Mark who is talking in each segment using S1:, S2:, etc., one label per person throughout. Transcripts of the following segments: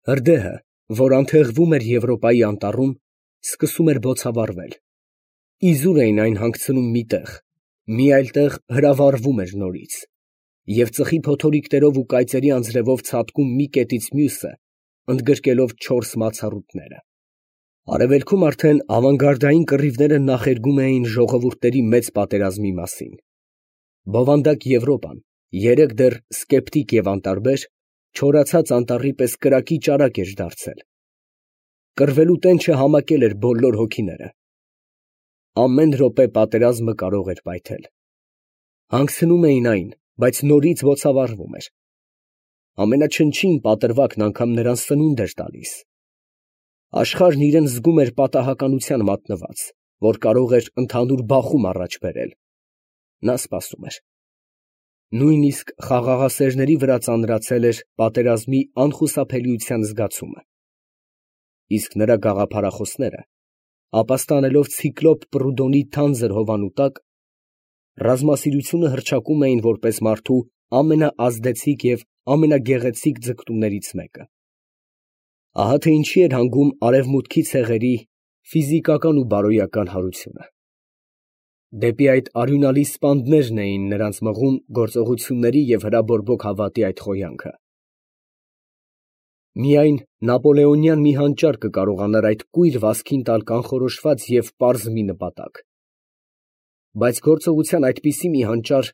S1: Հրդեհը, որ անթեղվում էր Եվրոպայի անտառում, սկսում էր բոցավառվել. իզուր էին այն հանգցնում մի տեղ, մի այլ տեղ հրավառվում էր նորից, և ծխի փոթորիկներով ու կայծերի անձրևով ցատկում մի կետից մյուսը, ընդգրկելով չորս մացառուտները։ Արևելքում արդեն ավանգարդային կռիվները նախերգում էին ժողովուրդների մեծ պատերազմի մասին։ Բովանդակ Եվրոպան, երեկ դեռ սկեպտիկ և անտարբեր, չորացած անտառի պես կրակի ճարակ էր դարձել։ Կռվելու տենչը համակել էր բոլոր հոգիները։ Ամեն րոպե պատերազմը կարող էր պայթել։ Հանգցնում էին այն, բայց նորից բոցավառվում էր։ Ամենաչնչին պատրվակն անգամ նրան սնունդ էր տալիս։ Աշխարհն իրան զգում էր պատահականության մատնված, որ կարող էր ընդհանուր բախում առաջ բերել։ Նա սպասում էր։ Նույնիսկ խաղաղասերների վրա ծանրացել էր պատերազմի անխուսափելիության զգացումը։ Իսկ նրա գաղափարախոսները, ապաստանելով ցիկլոպ Պրուդոնի թանձր հովանու տակ, ռազմասիրությունը հռչակում էին որպես մարդու ամենաազդեցիկ և ամենագեղեցիկ ձգտումներից մեկը։ Ահա թե ինչի էր հանգում արևմուտքի ցեղերի ֆիզիկական ու բարոյական հարությունը։ Դեպի այդ արյունալի սպանդներն էին նրանց մղում գործողությունների և հրաբորբոք հավատի այդ խոյանքը։ Միայն նապոլեոնյան մի հանճար կկարողանար այդ կույր վազքին տալ կանխորոշված և պարզ մի նպատակ։ Բայց գործողության այդպիսի մի հանճար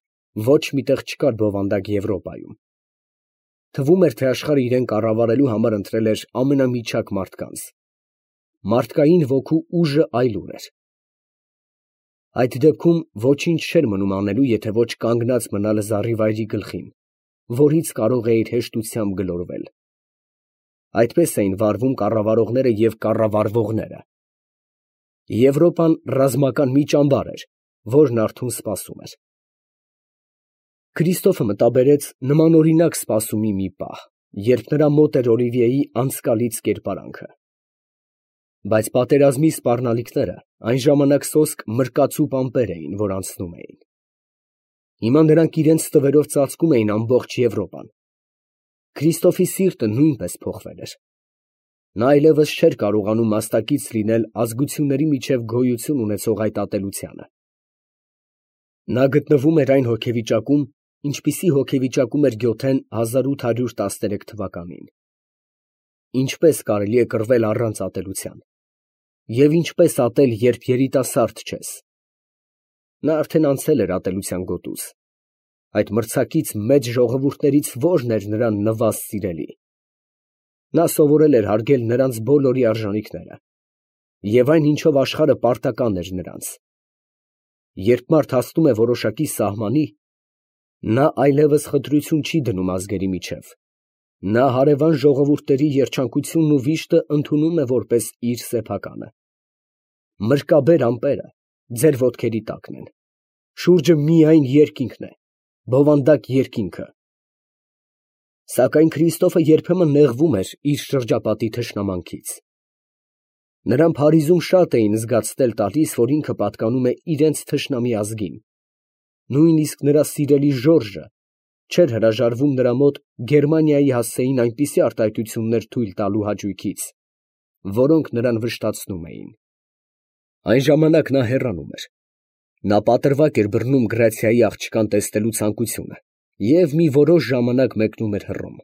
S1: ոչ մի տեղ չկար բովանդակ Եվրոպայում։ Թվում էր, թե աշխարհը իրեն կառավարելու համար ընտրել էր ամենամիջակ մարդկանց։ Մարդկային ոգու ուժը այլուր էր։ Այդ դեպքում ոչինչ չէր մնում անելու, եթե ոչ կանգնած մնալ զառիվայրի գլխին, որից կարող էիր հեշտությամբ գլորվել։ Այդպես էին վարվում կառավարողները և կառավարվողները։ Եվրոպան ռազմական մի ճամբար էր, որն արթուն սպասում էր։ Քրիստոֆը մտաբերեց նմանօրինակ սպասումի մի պահ, երբ նրա մոտ էր Օլիվիեի անցկալից կերպարանքը։ Բայց պատերազմի սպառնալիքները այն ժամանակ սոսկ մրկածու պամպեր էին, որ անցնում էին։ Հիմա նրանք իրենց թվերով ծածկում էին ամբողջ Եվրոպան։ Քրիստոֆի սիրտը նույնպես փոխվել էր։ Նա այլևս չէր կարողանում մասնակից լինել ազգությունների միջև գոյություն ունեցող այդ ատելությանը։ Նա գտնվում էր այն հոգեվիճակում, ինչպիսի հոգեվիճակում էր Գյոթեն 1813 թվականին։ Ինչպես կարելի է կռվել առանց ատելության։ Եվ ինչպես ատել, երբ երիտասարդ չես։ Նա արդեն անցել էր ատելության գոտուց։ Այդ մրցակից մեծ ժողովուրդներից ո՞րն էր նրան նվազ սիրելի։ Նա սովորել էր հարգել նրանց բոլորի արժանիքները, և այն, ինչով աշխարհը պարտական էր նրանց։ Երբ մարդ հասնում է որոշակի սահմանի, նա այլևս խտրություն չի դնում ազգերի միջև։ Նա հարևան ժողովուրդների երջանկությունն ու վիշտը ընդունում է որպես իր սեփականը։ Մրկաբեր ամպերը ձեր ոտքերի տակն են։ Շուրջը միայն երկինքն է, բովանդակ երկինքը։ Սակայն Քրիստոֆը երբեմն նեղվում էր իր շրջապատի թշնամանքից։ Նրան Փարիզում շատ էին զգացնել տալիս, որ ինքը պատկանում է իրենց թշնամի ազգին։ Նույնիսկ նրա սիրելի Ժորժը չէր հրաժարվում նրա մոտ Գերմանիայի հասցեին այնպիսի արտահայտություններ թույլ տալու հաճույքից, որոնք նրան վշտացնում էին։ Այն ժամանակ նա հեռանում էր։ Նա պատրվակ էր բռնում Գրացիայի աղջկան տեսնելու ցանկությունը և մի որոշ ժամանակ մեկնում էր հռոմ։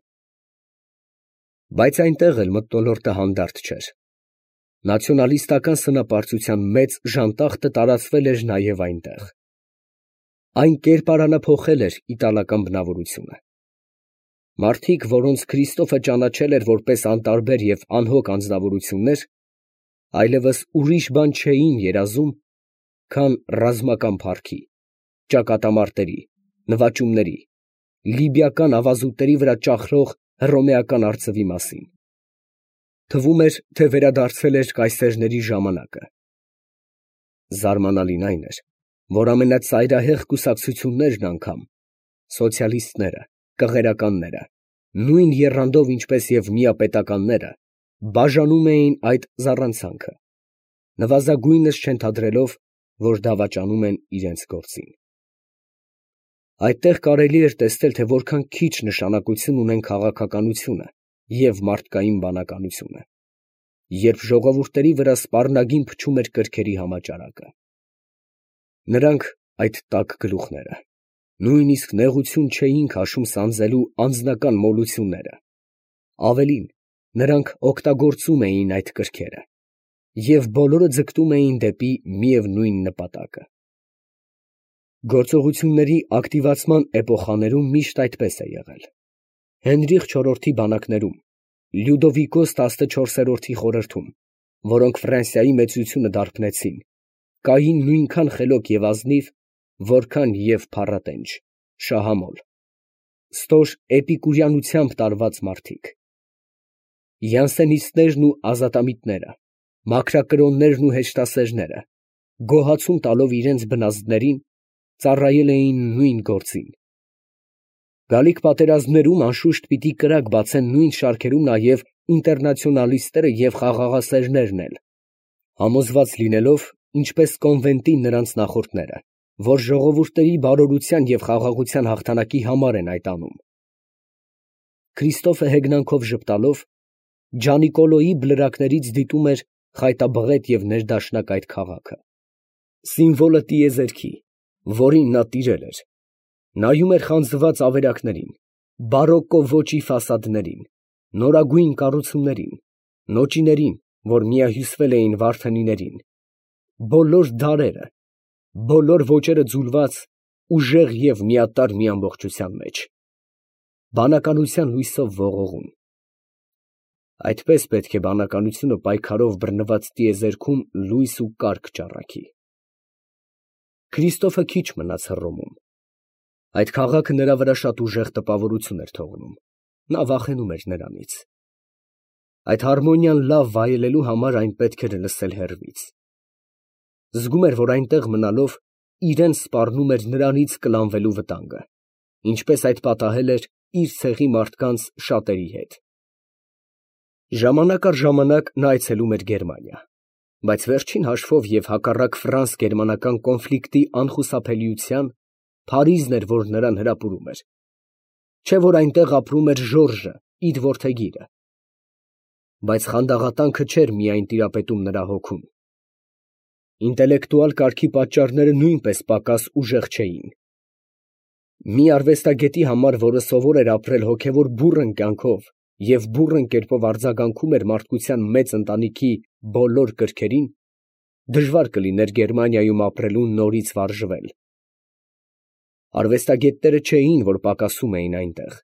S1: Բայց այնտեղ էլ մթնոլորտը հանդարտ չէր։ Նացիոնալիստական սնապարծության մեծ ժանտախտը տարածվել էր նաև այնտեղ։ Այն կերպարանափոխել էր իտալական բնավորությունը։ Մարդիկ, որոնց Քրիստոֆը ճանաչել էր որպես անտարբեր և անհոգ անձնավորություններ, այլևս ուրիշ բան չէին երազում, քան ռազմական փառքի, ճակատամարտերի, նվաճումների, լիբիական ավազուտների վրա ճախրող հռոմեական արծվի մասին։ Թվում էր, թե վերադարձել էր կայսերների ժամանակը։ Զարմանալին այն էր, որ ամենածայրահեղ կուսակցություններն անգամ, սոցիալիստները, կղերականները, նույն եռանդով ինչպես և միապետականները, բաժանում էին այդ զառանցանքը, նվազագույնս չենթադրելով, որ դավաճանում են իրենց գործին։ Այդտեղ կարելի էր տեսնել, թե որքան քիչ նշանակություն ունեն քաղաքականությունը և մարդկային բանականությունը, երբ ժողովուրդների վրա սպառնագին փչում էր կրքերի համաճարակը։ Նրանք, այդ տաք գլուխները, նույնիսկ նեղություն չէին քաշում սանձելու անձնական մոլությունները, ավելին, նրանք օգտագործում էին այդ կրքերը, և բոլորը ձգտում էին դեպի միևնույն նպատակը։ Գործողությունների ակտիվացման էպոխաներում միշտ այդպես է եղել։ Հենրիխ IV-ի բանակներում, Լյուդովիկոս 14-րդի խորհրդում, որոնք Ֆրանսիայի մեծությունը դարբնեցին, կային նույնքան խելոք և ազնիվ, որքան և փառատենչ, շահամոլ, ստոր էպիկուրյանությամբ տարված մարդիկ։ Յանսենիստներն ու ազատամիտները, մաքրակրոններն ու հեշտասերները, գոհացում տալով իրենց բնազդներին, ծառայել էին նույն գործին։ Գալիք պատերազմներում անշուշտ պիտի կրակ բացեն նույն շարքերում նաև ինտերնացիոնալիստները և խաղաղասերներն էլ, համոզված լինելով, ինչպես կոնվենտի նրանց նախորդները, որ ժողովուրդների բարօրության և խաղաղության հաղթանակի համար են այդ անում։ Քրիստոֆը հեգնանքով ժպտալով, Ջանիկոլոյի բլրակներից դիտում էր խայտաբղետ և ներդաշնակ այդ քաղաքը, սիմվոլը տիեզերքի, որին նա տիրել էր, նայում էր խանձված ավերակներին, բարոկկո ոճի ֆասադներին, նորագույն կառուցումներին, նոճիներին, որ միահյուսվել էին վարդենիներին, բոլոր դարերը, բոլոր ոճերը ձուլված, ուժեղ և միատարր մի ամբողջության մեջ, բանականության լույսով ողողում։ Այդպես պետք է բանականությունը պայքարով բռնված տիեզերքում լույս ու կարգ ճառագի։ Քրիստոֆը քիչ մնաց Հռոմում։ Այդ քաղաքը նրա վրա շատ ուժեղ տպավորություն էր թողնում, նա վախենում էր նրանից։ Այդ հարմոնիան լավ վայելելու համար այն պետք էր լսել հեռվից։ Զգում էր, որ այնտեղ մնալով իրան սպառնում էր նրանից կլանվելու վտանգը, ինչպես այդ պատահել էր իր ցեղի մարդկանց շատերի հետ։ Ժամանակ առ ժամանակ նա այցելում էր Գերմանիա, բայց վերջին հաշվով և հակառակ ֆրանս֊գերմանական կոնֆլիկտի անխուսափելիության, Փարիզն էր, որ նրան հրապուրում էր, չէ՞ որ այնտեղ ապրում էր Ժորժը, իր որդեգիրը։ Բայց խանդաղատանքը չէր միայն տիրապետում նրա հոգուն։ Ինտելեկտուալ կարգի պատճառները նույնպես պակաս ուժեղ չէին։ Մի արվեստագետի համար, որը սովոր էր ապրել հոգևոր բուռն կյանքով և բուռն կերպով արձագանքում էր մարդկության մեծ ընտանիքի բոլոր կրքերին, դժվար կլիներ Գերմանիայում ապրելուն նորից վարժվել։ Արվեստագետները չէին, որ պակասում էին այնտեղ,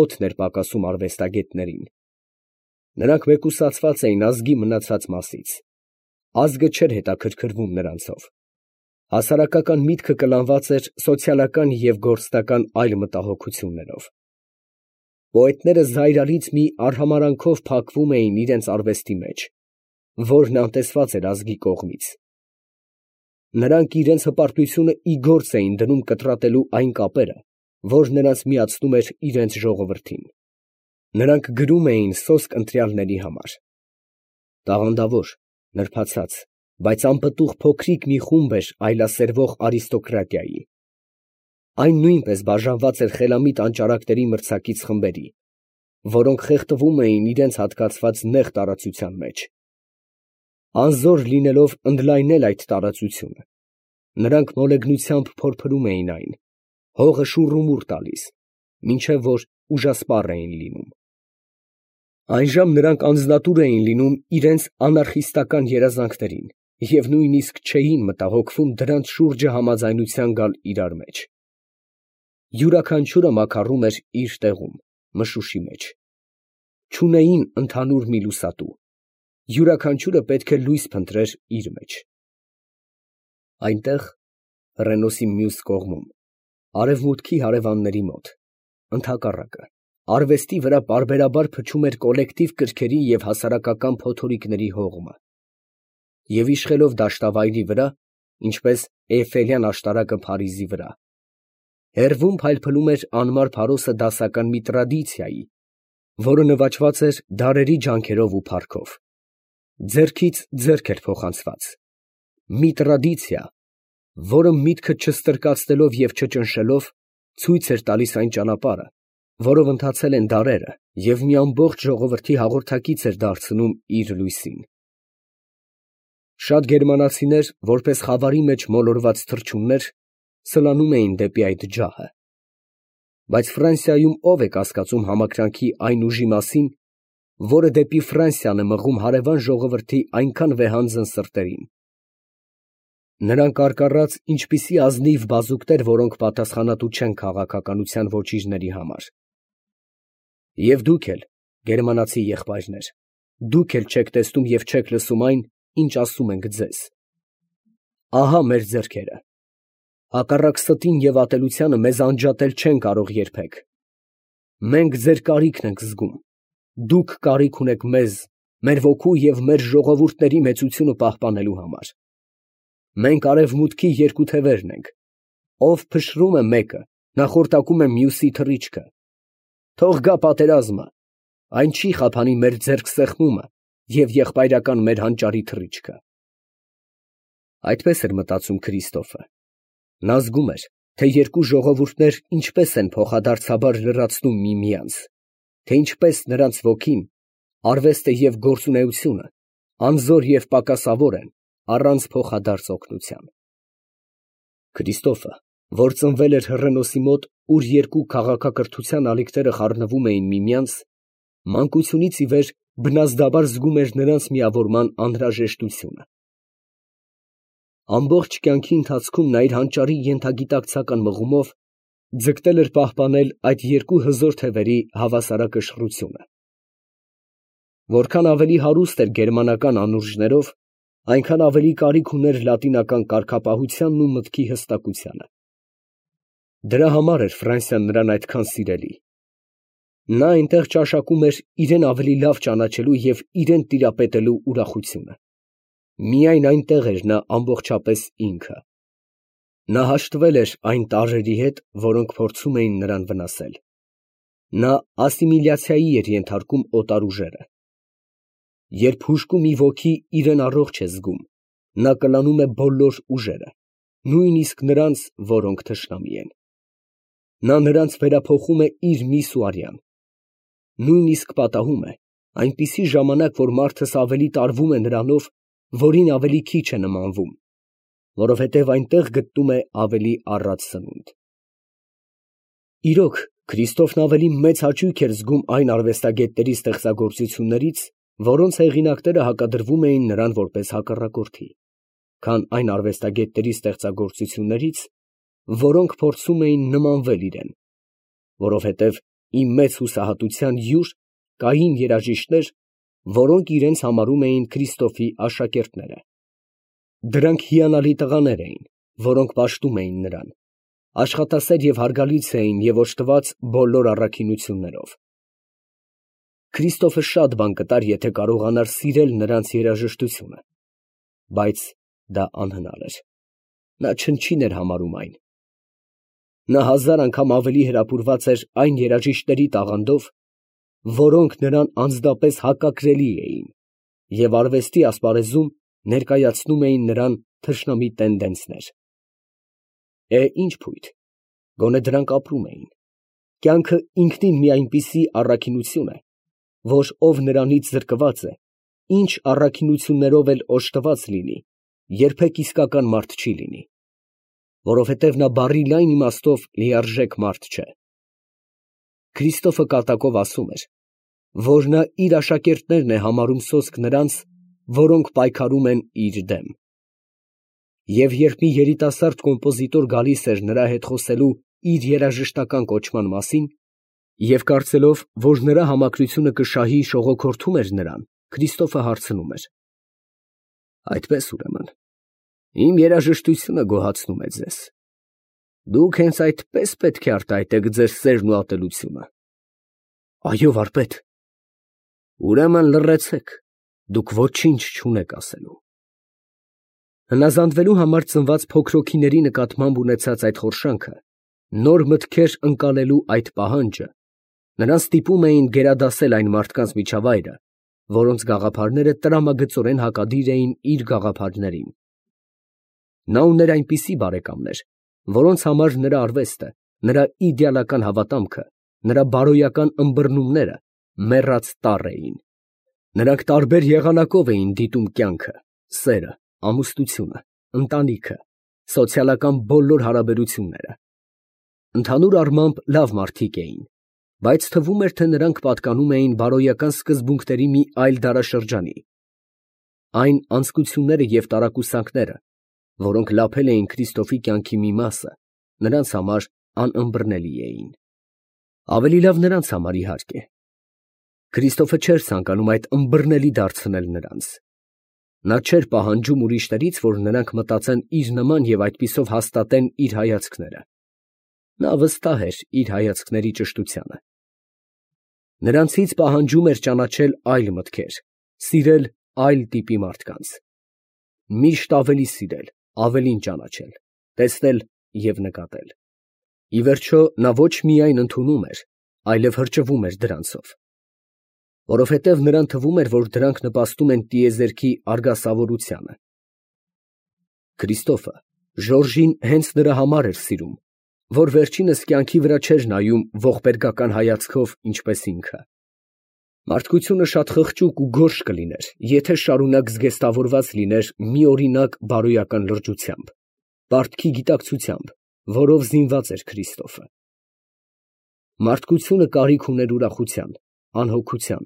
S1: օդն էր պակասում արվեստագետներին։ Նրանք մեկուսացված էին ազգի մնացած մասից, ազգը չէր հետաքրքրվում նրանցով, հասարակական միտքը կլանված էր սոցիալական և գործնական այլ մտահոգություններով։ Պոետները զայրալից մի արհամարհանքով փակվում էին իրենց արվեստի մեջ, որն անտեսված էր ազգի կողմից։ Նրանք իրենց հպարտությունը ի գործ էին դնում կտրատելու այն կապերը, որ նրանց միացնում էր իրենց ժողովրդին։ Նրանք գրում էին սոսկ ընտրյալների համար։ Տաղանդավոր, նրբացած, բայց անպտուղ փոքրիկ մի խումբ էր այլասերվող արիստոկրատիայի։ Այն նույնպես բաժանված էր խելամիտ անճարակների մրցակից խմբերի, որոնք խեղդվում էին իրենց հատկացված նեղ տարածության մեջ։ Անզոր լինելով ընդլայնել այդ տարածությունը, նրանք մոլեգնությամբ փորփրում էին այն, հողը շուռումուռ տալիս, մինչև որ ուժասպառ էին լինում։ Այժմ նրանք անձնատուր էին լինում իրենց անարխիստական երազանքներին և նույնիսկ չէին մտահոգվում դրանց շուրջը համաձայնության գալ իրար մեջ։ Յուրաքանչյուրը մաքարում էր իր տեղում, մշուշի մեջ։ Չունեին ընդհանուր մի լուսատու, յուրաքանչյուրը պետք է լույս փնտրեր իր մեջ։ Այնտեղ, Ռենոսի մյուս կողմում, արևմուտքի հարևանների մոտ, ընդհակառակը, արվեստի վրա պարբերաբար փչում էր կոլեկտիվ կրքերի և հասարակական փոթորիկների հողմը, և իշխելով դաշտավայրի վրա, ինչպես Էյֆելյան աշտարակը Փարիզի վրա, հեռվում փայլփլում էր անմար փարոսը դասական մի տրադիցիայի, որը նվաճված էր դարերի ջանքերով ու փառքով, ձեռքից ձեռք էր փոխանցված, մի տրադիցիա, որը միտքը չստրկացնելով և չճնշելով ցույց էր տալիս այն ճանապարհը, որով ընթացել են դարերը և մի ամբողջ ժողովրդի հաղորդակից էր դարձնում իր լույսին։ Շատ գերմանացիներ, որպես խավարի մեջ մոլորված թռչուններ, սլանում էին դեպի այդ ջահը։ Բայց Ֆրանսիայում ո՞վ է կասկածում համակրանքի այն ուժի մասին, որը դեպի Ֆրանսիան է մղում հարևան ժողովրդի այնքան վեհանձն սրտերին։ Նրանք արկառած ինչպիսի ազնիվ բազուկներ, որոնք պատասխանատու չեն քաղաքականության ոճիրների համար։ Եվ դուք էլ, գերմանացի եղբայրներ, դուք էլ չեք տեսնում և չեք լսում այն, ինչ ասում ենք ձեզ։ Ահա մեր ձեռքերը, հակառակ ստին և ատելությանը մեզ անջատել չեն կարող երբեք։ Մենք ձեր կարիքն ենք զգում, դուք կարիք ունեք մեզ, մեր ոգու և մեր ժողովուրդների մեծությունը պահպանելու համար։ Մենք արևմուտքի երկու թևերն ենք, ով փշրում է մեկը, նախորտակում է մյուսի թռիչքը։ Թող գա պատերազմը, այն չի խափանի մեր ձեռքսեղմումը և եղբայրական մեր հանճարի թռիչքը։ Այդպես էր մտածում Քրիստոֆը։ Նա զգում էր, թե երկու ժողովուրդներ ինչպես են փոխադարձաբար լրացնում միմյանց, թե ինչպես նրանց ոգին, արվեստը և գործունեությունը անզոր և պակասավոր են առանց փոխադարձ օգնության։ Քրիստոֆը, որ ծնվել էր Հռենոսի մոտ, ուր երկու քաղաքակրթության ալիքները խառնվում էին միմյանց, մանկությունից ի վեր բնազդաբար զգում էր նրանց միավորման անհրաժեշտությունը։ Ամբողջ կյանքի ընթացքում նա իր հանճարի ենթագիտակցական մղումով ձգտել էր պահպանել այդ երկու հզոր թևերի հավասարակշռությունը։ Որքան ավելի հարուստ էր գերմանական անուրջներով, այնքան ավելի կարիք ուներ լատինական կարգապահությանն ու մտքի հստակությանը։ Դրա համար էր Ֆրանսիան նրան այդքան սիրելի։ Նա այնտեղ ճաշակում էր իրեն ավելի լավ ճանաչելու և իրեն տիրապետելու ուրախությունը։ Միայն այնտեղ էր նա ամբողջապես ինքը։ Նա հաշտվել էր այն տարրերի հետ, որոնք փորձում էին նրան վնասել։ Նա ասիմիլյացիայի էր ենթարկում օտար ուժերը։ Երբ հուժկու մի ոգի իրեն առողջ է զգում, նա կլանում է բոլոր ուժերը, նույնիսկ նրանց, որոնք թշնամի են։ Նա նրանց վերափոխում է իր միս ու արյան։ Նույնիսկ պատահում է այնպիսի ժամանակ, որ մարդս ավելի տարվում է նրանով, որին ավելի քիչ է նմանվում, որովհետև այնտեղ գտնում է ավելի առատ սնունդ։ Իրոք, Քրիստոֆն ավելի մեծ հաճույք էր զգում այն արվեստագետների ստեղծագործություններից, որոնց հեղինակները հակադրվում էին նրան որպես հակառակորդի, քան այն արվեստագետների ստեղծագործություններից, որոնք փորձում էին նմանվել իրեն, որովհետև ի մեծ հուսահատության յուր կային երաժիշտներ, որոնք իրենց համարում էին Քրիստոֆի աշակերտները։ Դրանք հիանալի տղաներ էին, որոնք պաշտում էին նրան, աշխատասեր և հարգալից էին և օժտված բոլոր առաքինություններով։ Քրիստոֆը շատ բան կտար, եթե կարողանար սիրել նրանց երաժշտությունը, բայց դա անհնար էր։ Նա չնչին էր համարում այն։ Նա 1000 անգամ ավելի հրապուրված էր այն երաժիշտների տաղանդով, որոնք նրան անձնապես հակակրելի էին և արվեստի ասպարեզում ներկայացնում էին նրան թշնամի տենդենսներ։ Ինչ փույթ, գոնե դրանք ապրում էին։ Կյանքը ինքնին մի այնպիսի առաքինություն է, որ ով նրանից զրկված է, ինչ առաքինություններով էլ օժտված լինի, երբեք իսկական մարդ չի լինի, որովհետև նա բառի լայն իմաստով լիարժեք մարդ չէ։ Քրիստոֆը կատակով ասում էր, որ նա իր աշակերտներն է համարում սոսկ նրանց, որոնք պայքարում են իր դեմ։ Եվ երբ մի երիտասարդ կոմպոզիտոր գալիս էր նրա հետ խոսելու իր երաժշտական կոչման մասին, և կարծելով, որ նրա համակրությունը կշահի, շողոքորթում էր նրան, Քրիստոֆը հարցնում էր. «Այդպես ուրեմն, իմ երաժշտությունը գոհացնում է ձեզ. դուք հենց այդպես պետք է արտահայտեք ձեր սերն ու ատելությունը»։ «Այո, վարպետ»։ «Ուրեմն լռեցեք, դուք ոչինչ չունեք ասելու»։ Հնազանդվելու համար ծնված փոքր հոգիների նկատմամբ ունեցած այդ խորշանքը, նոր մտքեր ընկալելու այդ պահանջը նրան ստիպում էին գերադասել այն մարդկանց միջավայրը, որոնց գաղափարները տրամագծորեն հակադիր էին իր գաղափարներին։ Նա ուներ այնպիսի բարեկամներ, որոնց համար նրա արվեստը, նրա իդեալական հավատամքը նրա բարոյական ըմբռնումները մեռած տառ էին։ Նրանք տարբեր եղանակով էին դիտում կյանքը, սերը, ամուսնությունը, ընտանիքը, սոցիալական բոլոր հարաբերությունները։ Ընդհանուր առմամբ լավ մարդիկ էին, բայց թվում էր, թե նրանք պատկանում էին բարոյական սկզբունքների մի այլ դարաշրջանի։ Այն անձկությունները և տարակուսանքները, որոնք լափել էին Քրիստոֆի կյանքի մի մասը, նրանց համար անըմբռնելի էին։ Ավելի լավ նրանց համար, իհարկե։ Քրիստոֆը չէր ցանկանում այդ ըմբռնելի դարձնել նրանց։ Նա չէր պահանջում ուրիշներից, որ նրանք մտածեն իր նման և այդպիսով հաստատեն իր հայացքները։ Նա վստահ էր իր հայացքների ճշտությանը։ Նրանցից պահանջում էր ճանաչել այլ մտքեր, սիրել այլ տիպի մարդկանց։ Միշտ ավելի սիրել, ավելին ճանաչել, տեսնել և նկատել։ Ի վերջո, նա ոչ միայն ընդունում էր, այլև հրճվում էր դրանցով, որովհետև նրան թվում էր, որ դրանք նպաստում են տիեզերքի արգասավորությանը։ Քրիստոֆը Ժորժին հենց նրա համար էր սիրում, որ վերջինս կյանքի վրա չէր նայում ողբերգական հայացքով, ինչպես ինքը։ Մարդկությունը շատ խղճուկ ու գորշ կլիներ, եթե շարունակ զգեստավորված լիներ մի օրինակ բարոյական լրջությամբ, պարտքի գիտակցությամբ, որով զինված էր Քրիստոֆը։ Մարդկությունը կարիք ուներ ուրախության, անհոգության,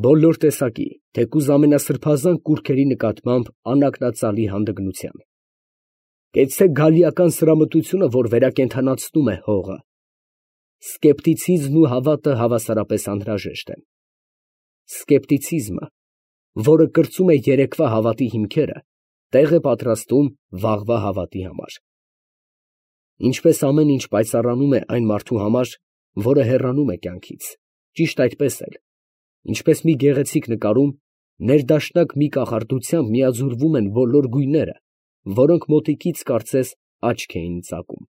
S1: բոլոր տեսակի, թեկուզ ամենասրբազան կուռքերի նկատմամբ անակնածալի հանդգնության։ Կեցցե գալիական սրամտությունը, որ վերակենդանացնում է հողը։ Սկեպտիցիզմն ու հավատը հավասարապես անհրաժեշտ են։ Սկեպտիցիզմը, որը կրծում է երեկվա հավատի հիմքերը, տեղ է պատրաստում վաղվա հավատի համար։ Ինչպես ամեն ինչ պայծառանում է այն մարդու համար, որը հեռանում է կյանքից, ճիշտ այդպես էլ, ինչպես մի գեղեցիկ նկարում, ներդաշնակ մի կախարդությամբ միաձուլվում են բոլոր գույները, որոնք մոտիկից կարծես աչք էին ծակում։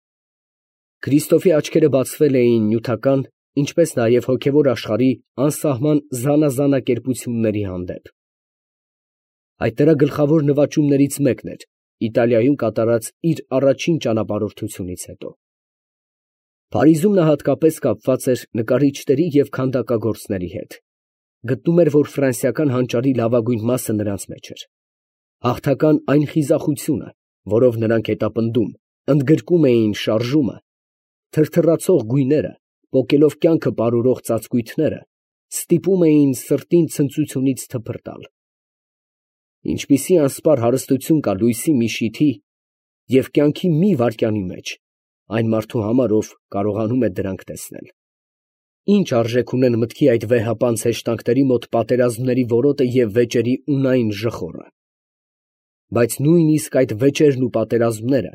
S1: Քրիստոֆի աչքերը բացվել էին նյութական, ինչպես նաև հոգևոր աշխարհի անսահման զանազանակերպությունների հանդեպ։ Այդ նրա գլխավոր նվաճումներից մեկն էր Իտալիայում կատարած իր առաջին ճանապարհորդությունից հետո։ Փարիզում նա հատկապես կապված էր նկարիչների և քանդակագործների հետ։ Գտնում էր, որ ֆրանսիական հանճարի լավագույն մասը նրանց մեջ էր։ Հաղթական այն խիզախությունը, որով նրանք հետապնդում, ընդգրկում էին շարժումը, թրթռացող գույները, պոկելով կյանքը պարուրող ծածկույթները, ստիպում էին սրտին ցնծությունից թփրտալ։ Ինչպիսի անսպառ հարստություն կա լույսի մի շիթի և կյանքի մի վայրկյանի մեջ այն մարդու համար, ով կարողանում է դրանք տեսնել։ Ինչ արժեք ունեն մտքի այդ վեհապանծ հեշտանքների մոտ պատերազմների որոտը և վեճերի ունայն ժխորը։ Բայց նույնիսկ այդ վեճերն ու պատերազմները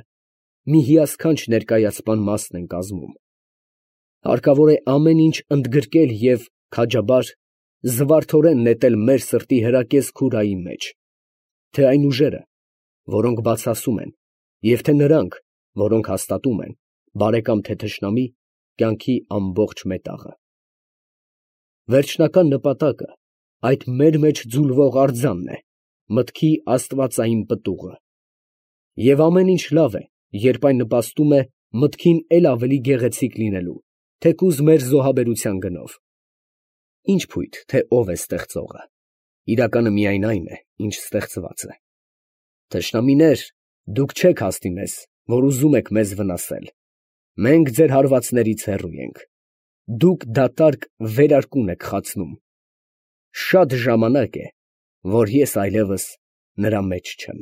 S1: մի հիասքանչ ներկայացման մասն են կազմում։ Հարկավոր է ամեն ինչ ընդգրկել և քաջաբար, զվարթորեն նետել մեր սրտի հրակեզ քուրայի մեջ, թե այն ուժերը, որոնք բացասում են, և թե նրանք, որոնք հաստատում են, բարեկամ թե թշնամի, կյանքի ամբողջ մետաղը։ Վերջնական նպատակը այդ մեր մեջ ձուլվող արձանն է, մտքի աստվածային պտուղը։ Եվ ամեն ինչ լավ է, երբ այն նպաստում է մտքին էլ ավելի գեղեցիկ լինելու, թեկուզ մեր զոհաբերության գնով։ Ինչ փույթ, թե ով է ստեղծողը, իրականը միայն այն է, ինչ ստեղծված է։ Թշնամիներ, դուք չեք հասնի մեզ, որ ուզում եք մեզ վնասել։ Մենք ձեր հարվածներից հեռու ենք։ Դուք դատարկ վերարկուն եք խացնում։ Շատ ժամանակ է, որ ես այլևս նրա մեջ չեմ։